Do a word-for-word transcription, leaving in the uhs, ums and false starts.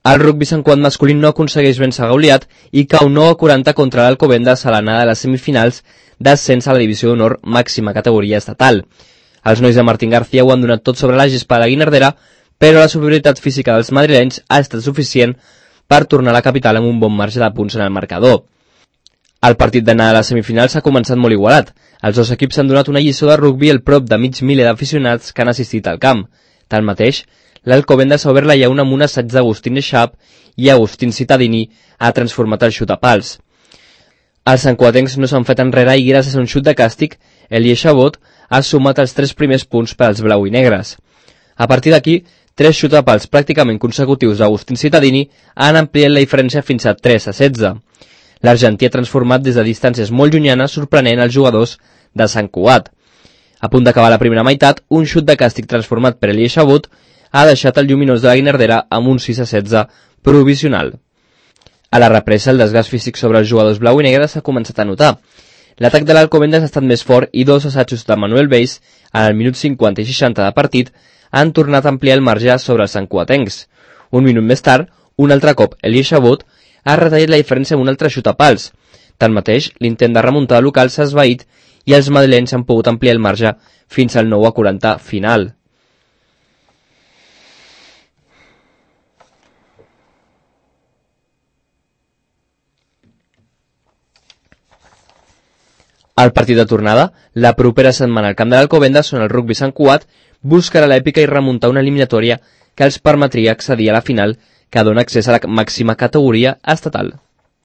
El rugbi Sant Cugat masculí no aconsegueix vèncer Gauliat i cau nou a quaranta contra l'Alcobendas a l'anada de les semifinals d'ascens a la divisió d'honor màxima categoria estatal. Els nois de Martín García ho han donat tot sobre la gespa de la Guinardera, però la superioritat física dels madrilenys ha estat suficient per tornar a la capital amb un bon marge de punts en el marcador. El partit d'anada a les semifinals ha començat molt igualat. Els dos equips han donat una lliçó de rugbi al prop de mig miler d'aficionats que han assistit al camp. Tanmateix, l'Alcobendas ha obert la llauna amb un assaig d'Agustín Eixap i Agustín Cittadini ha transformat el xut a pals. Els santcuatencs no s'han fet enrere i gràcies a un xut de càstig, Elie Chabot ha sumat els tres primers punts per als blau i negres. A partir d'aquí, tres xuts a pals pràcticament consecutius d'Agustín Cittadini han ampliat la diferència fins a tres a setze. L'argentí ha transformat des de distàncies molt llunyanes sorprenent els jugadors de Sant Cugat. A punt d'acabar la primera meitat, un xut de càstig transformat per Elie Chabot ha deixat el lluminós de la Guinardera amb un sis a setze provisional. A la represa, el desgast físic sobre els jugadors blau i negre s'ha començat a notar. L'atac de l'Alcobendas ha estat més fort i dos assajos de Manuel Beis, en el minut cinquanta i seixanta de partit, han tornat a ampliar el marge sobre els santcuatencs. Un minut més tard, un altre cop, Elie Chabot ha retallat la diferència amb un altre xut a pals. Tanmateix, l'intent de remuntada local s'ha esvaït i els madrilenys han pogut ampliar el marge fins al nou a quaranta final. Al partit de tornada, la propera setmana al camp de l'Alcobendas, on el rugbi Sant Cugat buscarà l'èpica i remuntar una eliminatòria que els permetria accedir a la final que dona accés a la màxima categoria estatal.